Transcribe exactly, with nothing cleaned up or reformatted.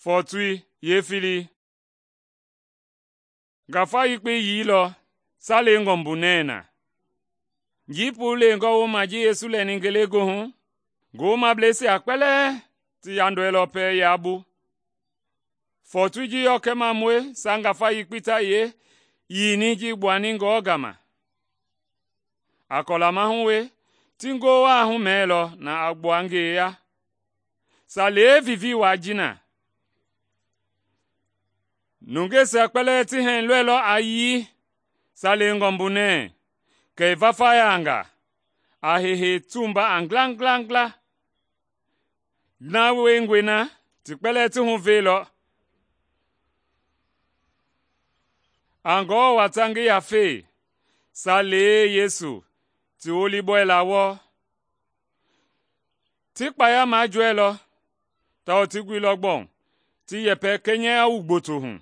Fɔɔtui yeefilii. Ngafa yekpei yiilɔ salei mbunɛɛ na. Njii puu lengɔ wooma ji Yesu lɛni ngelegoohu, ngowomableisia kpɛlɛɛ ti yandɔɛilɔ pɛlɛ yabu. Fɔɔtui ji yɔkɛmamɔi sa ngafa yekpei ta yee yiini ji gbuani Ngewɔ gama. A kɔla mahu we ti ngowaa humɛɛlɔ na a gbua ngeyeya, Salei vivii waa ji na. Nungeisia kpɛlɛɛ ti hɛɛ lɔilɔ a yii salei mbunɛɛ, kɛ i vafayaanga, a heihei tumba a ngilangilangila. Na wiengɔe na ti kpɛlɛɛ ti huveilɔ. A Ngewɔ wata ngi yafei, Salei Yesu ti wolibɔɛla wɔɔ. Ti kpaya majɔɛilɔ, tawao ti guilɔ gbɔɔ ti yɛpɛ kɛnyɛya wu gboto hu.